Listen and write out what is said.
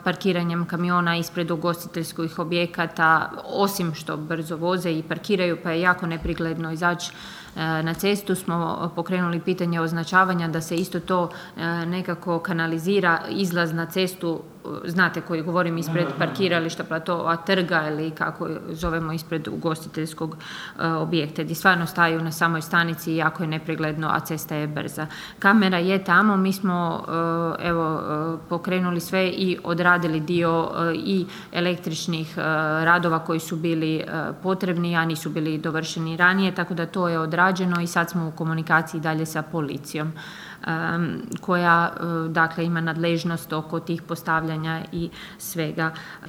parkiranjem kamiona ispred ugostiteljskih objekata, osim što brzo voze i parkiraju pa je jako neprikladno izaći na cestu, smo pokrenuli pitanje označavanja da se isto to nekako kanalizira, izlaz na cestu, znate koji govorim, ispred parkirališta, platova, trga ili kako zovemo ispred ugostiteljskog objekta, gdje stvarno staju na samoj stanici i jako je nepregledno, a cesta je brza. Kamera je tamo, mi smo pokrenuli sve i odradili dio i električnih radova koji su bili potrebni, a nisu bili dovršeni ranije, tako da to je odrađeno i sad smo u komunikaciji dalje sa policijom koja dakle ima nadležnost oko tih postavljanja i svega.